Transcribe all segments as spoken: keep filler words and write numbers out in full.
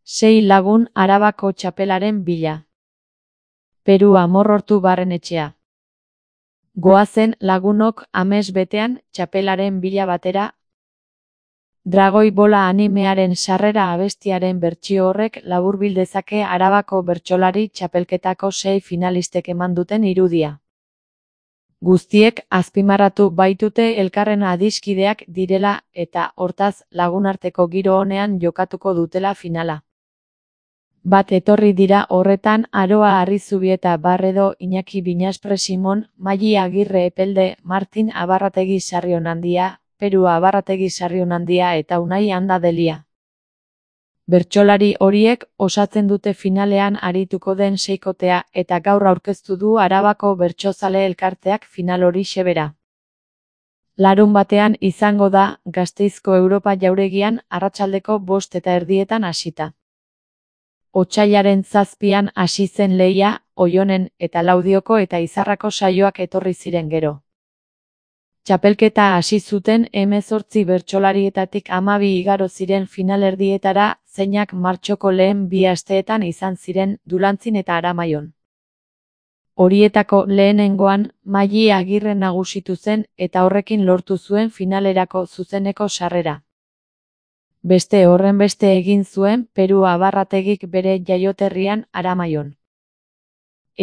Sei lagun Arabako txapelaren bila. Peru Amorortu Barrenetxea. Goazen lagunok amets betean txapelaren bila batera. Dragoi Bola animearen sarrera abestiaren bertsio horrek laburbil dezake Arabako bertsolari txapelketako sei finalistek eman duten irudia. Guztiek azpimarratu baitute elkarren adiskideak direla eta hortaz lagunarteko giro onean jokatuko dutela finala. Bat etorri dira horretan Aroa Arrizubieta Barredo, Iñaki Binaspre Simon, Maili Agirre Epelde, Martin Abarrategi Sarrionandia, Peru Abarrategi Sarrionandia eta Unai Anda Delia. Bertsolari horiek osatzen dute finalean arituko den seikotea eta gaur aurkeztu du Arabako Bertsozale Elkarteak final hori xebera. Larun batean izango da Gasteizko Europa Jauregian arratsaldeko bost eta erdietan hasita. Otsailaren zazpian hasi zen lehia, Oionen eta Laudioko eta Izarrako saioak etorri ziren gero. Txapelketa hasi zuten hemezortzi bertsolarietatik hamabi igaro ziren finalerdietara, zeinak martxoko lehen bi asteetan izan ziren Dulantzin eta Aramaion. Horietako lehenengoan, Maili Agirre nagusitu zen eta horrekin lortu zuen finalerako zuzeneko sarrera. Beste horrenbeste egin zuen Peru Abarrategik bere jaioterrian Aramaion.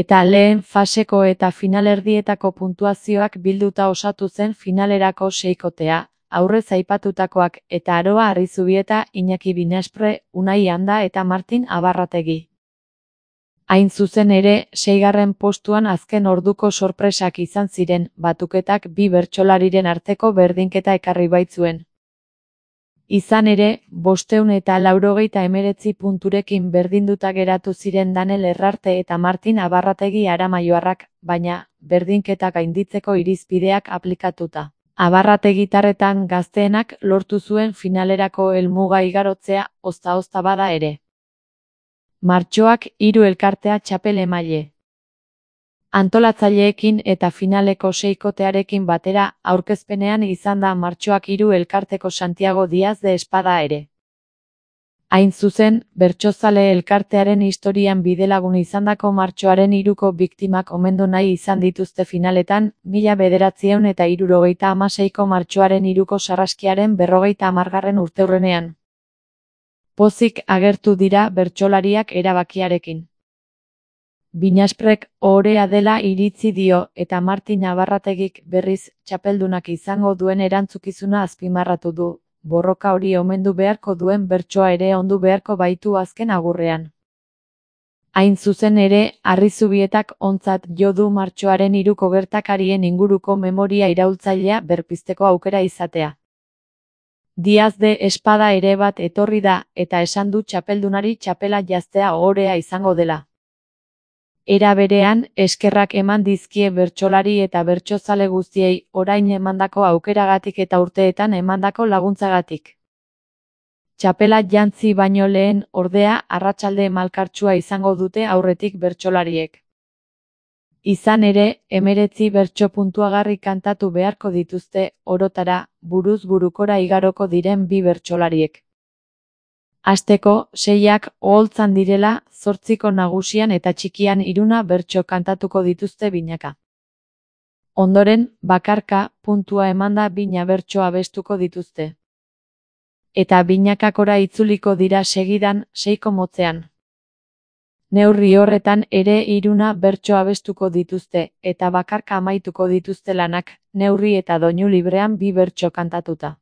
Eta lehen faseko eta finalerdietako puntuazioak bilduta osatu zen finalerako seikotea, aurrez aipatutakoak eta Aroa Arrizubieta, Iñaki Binaspre, Unai Anda eta Martin Abarrategi. Hain zuzen ere, seigarren postuan azken orduko sorpresak izan ziren, batuketak bi bertsolariren arteko berdinketa ekarri baitzuen. Izan ere, bostehun eta laurogeita hemeretzi punturekin berdinduta geratu ziren Danel Errarte eta Martin Abarrategi aramaioarrak, baina, berdinketak gainditzeko irizpideak aplikatuta. Abarrategitarretan gazteenak lortu zuen finalerako helmuga igarotzea, ozta-ozta bada ere. Martxoak hiru elkartea txapel emaile. Antolatzaileekin eta finaleko seikotearekin batera, aurkezpenean izan da Martxoak hiru elkarteko Santiago Diaz de Espada ere. Hain zuzen, Bertsozale Elkartearen historian bidelagun izandako Martxoaren hiruko biktimak omendu nahi izan dituzte finaletan, mila bederatziehun eta hirurogeita hamaseiko Martxoaren hiruko sarraskiaren berrogeita hamargarren urteurrenean. Pozik agertu dira bertsolariak erabakiarekin. Binasprek ohorea dela iritzi dio eta Martin Abarrategik berriz txapeldunak izango duen erantzukizuna azpimarratu du, borroka hori omendu beharko duen bertsoa ere ondu beharko baitu azken agurrean. Hain zuzen ere, Arrizubietak ontzat jo du martxoaren hiruko gertakarien inguruko memoria iraultzailea berpizteko aukera izatea. Diaz de Espada ere bat etorri da eta esan du txapeldunari txapela jaztea ohorea izango dela. Era berean, eskerrak eman dizkie bertsolari eta bertsozale guztiei orain emandako aukeragatik eta urteetan emandako laguntzagatik. Txapela jantzi baino lehen, ordea, arratsalde malkartsua izango dute aurretik bertsolariek. Izan ere, hemeretzi bertso puntuagarri kantatu beharko dituzte, orotara, buruz burukora igaroko diren bi bertsolariek. Hasteko, seiak oholtzan direla, zortziko nagusian eta txikian hiruna bertso kantatuko dituzte binaka. Ondoren, bakarka, puntua emanda bina bertso abestuko dituzte. Eta binakakora itzuliko dira segidan, seiko motzean. Neurri horretan ere hiruna bertso abestuko dituzte, eta bakarka amaituko dituzte lanak, neurri eta doinu librean bi bertso kantatuta.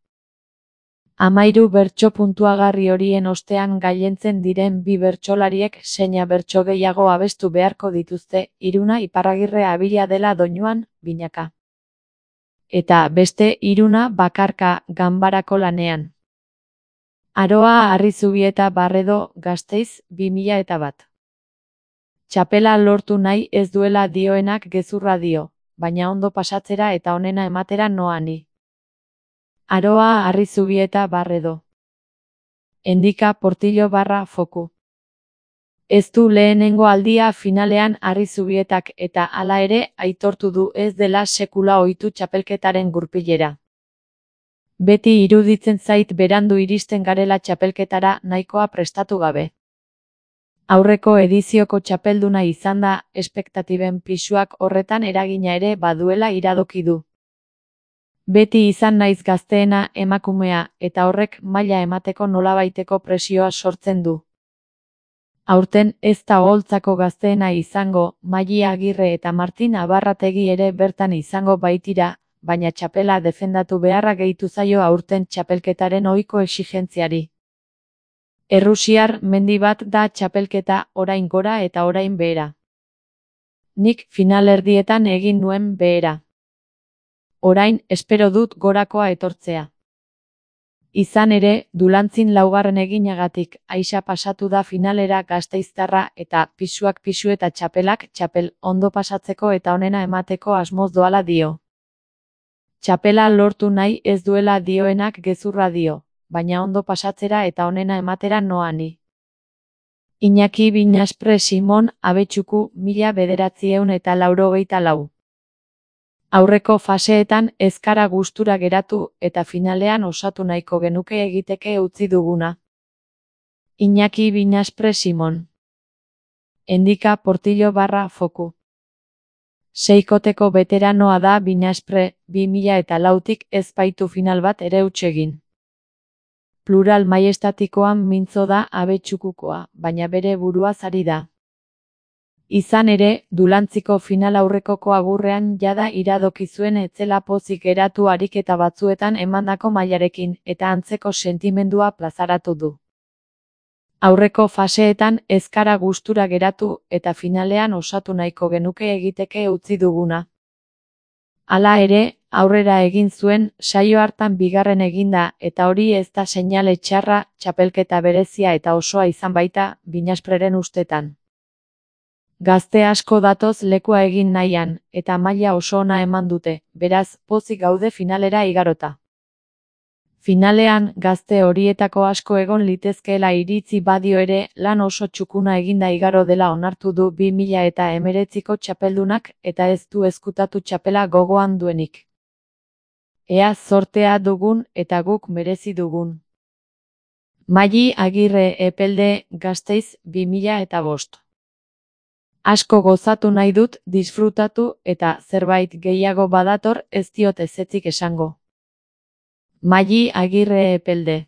Amairu bertso puntuagarri horien ostean gailentzen diren bi bertsolariek seina bertso gehiago abestu beharko dituzte, hiruna Iparragirre Abila dela doinuan, binaka. Eta beste hiruna bakarka ganbarako lanean. Aroa Arrizubieta Barredo, Gasteiz, bi mila eta bat. Txapela lortu nahi ez duela dioenak gezurra dio, baina ondo pasatzera eta onena ematera noa ni. Aroa Arrizubieta Barredo. Endika Portillo barra foku. Ez du lehenengo aldia finalean Arrizubietak eta hala ere aitortu du ez dela sekula ohitu txapelketaren gurpilera. Beti iruditzen zait berandu iristen garela txapelketara nahikoa prestatu gabe. Aurreko edizioko txapelduna izan da, espektatiben pisuak horretan eragina ere baduela iradoki du. Beti izan naiz gazteena emakumea, eta horrek maila emateko nolabaiteko presioa sortzen du. Aurten ez da oholtzako gazteena izango, Maiyi Agirre eta Martin Abarrategi ere bertan izango baitira, baina txapela defendatu beharra gehitu zaio aurten txapelketaren ohiko exigentziari. Errusiar mendi bat da txapelketa, orain gora eta orain behera. Nik finalerdietan egin nuen behera. Orain espero dut gorakoa etortzea. Izan ere, Dulantzin laugarren eginagatik Aixa pasatu da finalera gasteiztarra eta pisuak pisu eta txapelak txapel ondo pasatzeko eta onena emateko asmoz doala dio. Txapela lortu nahi ez duela dioenak gezurra dio, baina ondo pasatzera eta onena ematera noani. Iñaki Binaspre Simon Abetxuku mila bederatzieun eta laurogeita lau. Aurreko faseetan ez gara gustura geratu eta finalean osatu nahiko genuke egiteke utzi duguna. Iñaki Binaspre Simon. Endika Portillo barra foku. Seikoteko beteranoa da Binaspre, bi mila eta lautik ez baitu final bat ere huts egin. Plural maiestatikoan mintzo da Abetxukukoa, baina bere buruaz ari da. Izan ere, Dulantziko final aurrekoko agurrean jada iradoki zuen etzela pozik geratu ariketa batzuetan emandako mailarekin eta antzeko sentimendua plazaratu du. Aurreko faseetan ez gara gustura geratu eta finalean osatu nahiko genuke egiteke utzi duguna. Hala ere, aurrera egin zuen, saio hartan bigarren eginda eta hori ez da seinale txarra, txapelketa berezia eta osoa izan baita, Binaspreren ustetan. Gazte asko datoz lekua egin nahian, eta maila oso ona eman dute, beraz, pozik gaude finalera igarota. Finalean, gazte horietako asko egon litezkeela iritzi badio ere, lan oso txukuna eginda igaro dela onartu du bi mila eta hemeretziko txapeldunak, eta ez du ezkutatu txapela gogoan duenik. Ea zortea dugun eta guk merezi dugun. Maiyi Agirre Epelde, Gasteiz, bi mila eta bost. Asko gozatu nahi dut, disfrutatu eta zerbait gehiago badator ez diot ezetzik esango. Maiyi Agirre Epelde.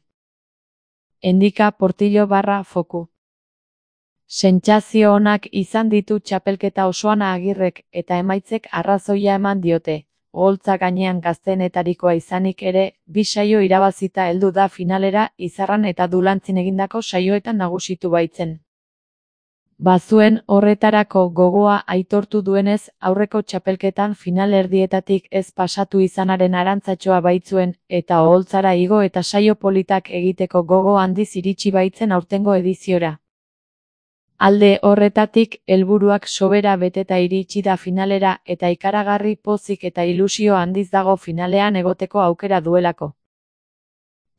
Endika Portillo barra foku. Sentsazio onak izan ditu txapelketa osoan Agirrek eta emaitzek arrazoia eman diote. Oholtza gainean gazteenetarikoa izanik ere, bi saio irabazita heldu da finalera Izarran eta Dulantzin egindako saioetan nagusitu baitzen. Bazuen horretarako gogoa aitortu duenez, aurreko txapelketan finalerdietatik ez pasatu izanaren arantzatxoa baitzuen, eta oholtzara igo eta saio politak egiteko gogo handiz iritsi baitzen aurtengo ediziora. Alde horretatik, helburuak sobera beteta iritsi da finalera eta ikaragarri pozik eta ilusio handiz dago finalean egoteko aukera duelako.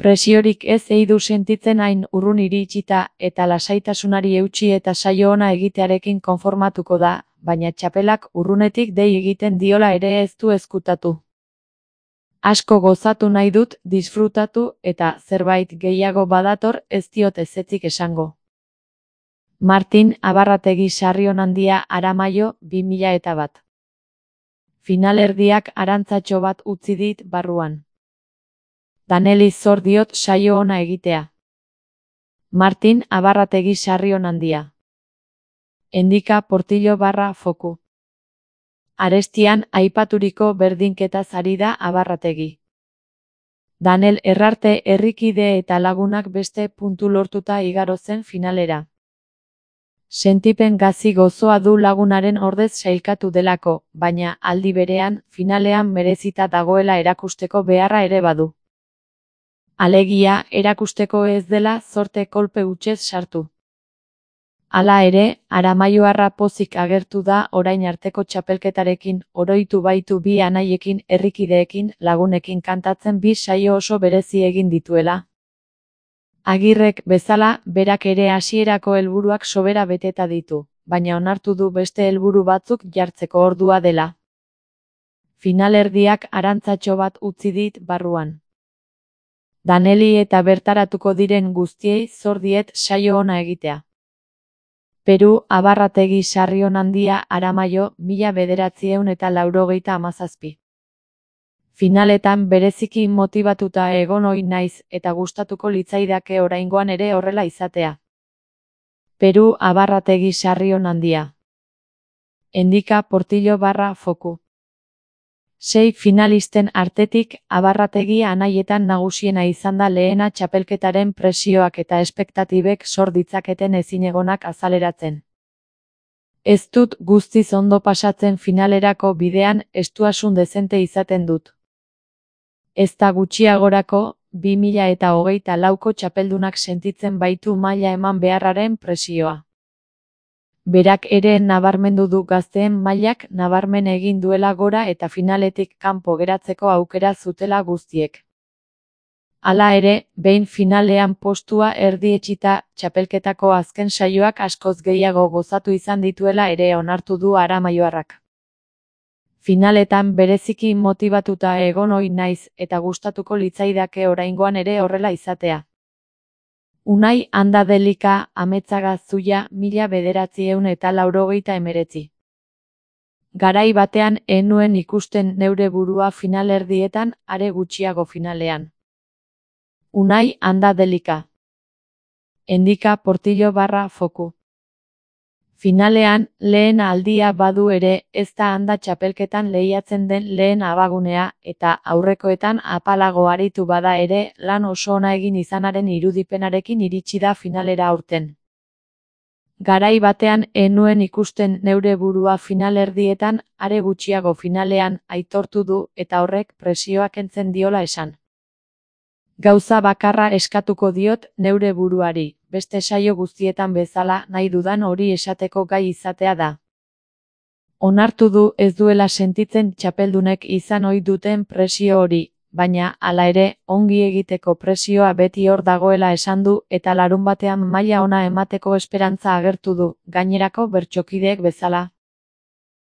Presiorik ez ei du sentitzen hain urrun iritsita eta lasaitasunari eutsi eta saio ona egitearekin konformatuko da, baina txapelak urrunetik dei egiten diola ere ez du ezkutatu. Asko gozatu nahi dut, disfrutatu eta zerbait gehiago badator ez diot ezetzik esango. Martin Abarrategi Sarrionandia Aramaio, bi mila eta bat. Finalerdiak arantzatxo bat utzi dit barruan. Daneli zor diot saio ona egitea. Martin Abarrategi Sarrionandia. Endika Portillo barra foku. Arestian aipaturiko berdinketaz ari da Abarrategi. Danel Errarte herrikide eta lagunak beste puntu lortuta igaro zen finalera. Sentipen gazi gozoa du lagunaren ordez sailkatu delako, baina aldi berean, finalean merezita dagoela erakusteko beharra ere badu. Alegia, erakusteko ez dela zorte kolpe hutsez sartu. Hala ere, Aramaioarra pozik agertu da orain arteko txapelketarekin, oroitu baitu bi anaiekin, herrikideekin, lagunekin kantatzen bi saio oso berezi egin dituela. Agirrek bezala, berak ere hasierako helburuak sobera beteta ditu, baina onartu du beste helburu batzuk jartzeko ordua dela. Finalerdiak arantzatxo bat utzi dit barruan. Daneli eta bertaratuko diren guztiei zor diet saio ona egitea. Peru Abarrategi Sarrionandia Aramaio mila bederatziehun eta laurogeita hamazazpi. Finaletan bereziki motibatuta egon ohi naiz eta gustatuko litzaidake oraingoan ere horrela izatea. Peru Abarrategi Sarrionandia. Endika Portillo barra Foku. Sei finalisten artetik Abarrategi anaietan nagusiena izan da lehena txapelketaren presioak eta espektatibek sor ditzaketen ezinegonak azaleratzen. Ez dut guztiz ondo pasatzen finalerako bidean, estuasun dezente izaten dut. Ez da gutxiagorako, bi mila eta hogeita lauko txapeldunak sentitzen baitu maila eman beharraren presioa. Berak ere nabarmendu du gazteen mailak nabarmen egin duela gora eta finaletik kanpo geratzeko aukera zutela guztiek. Hala ere, behin finalean postua erdietsita, txapelketako azken saioak askoz gehiago gozatu izan dituela ere onartu du aramaioarrak. Finaletan bereziki motibatuta egon ohi naiz eta gustatuko litzaidake oraingoan ere horrela izatea. Unai Andadelika Ametzaga Zuia mila bederatziehun eta laurogeita hemeretzi. Garai batean ez nuen ikusten neure burua finalerdietan, are gutxiago finalean. Unai Andadelika. Endika Portillo barra Foku. Finalean, lehen aldia badu ere, ez da handa txapelketan lehiatzen den lehen abagunea, eta aurrekoetan apalago aritu bada ere, lan oso ona egin izanaren irudipenarekin iritsi da finalera aurten. Garai batean ez nuen ikusten neure burua finalerdietan, are gutxiago finalean, aitortu du, eta horrek presioa kentzen diola esan. Gauza bakarra eskatuko diot neure buruari, beste saio guztietan bezala nahi dudan hori esateko gai izatea da. Onartu du ez duela sentitzen txapeldunek izan ohi duten presio hori, baina, hala ere, ongi egiteko presioa beti hor dagoela esan du eta larunbatean maila ona emateko esperantza agertu du, gainerako bertsokideek bezala.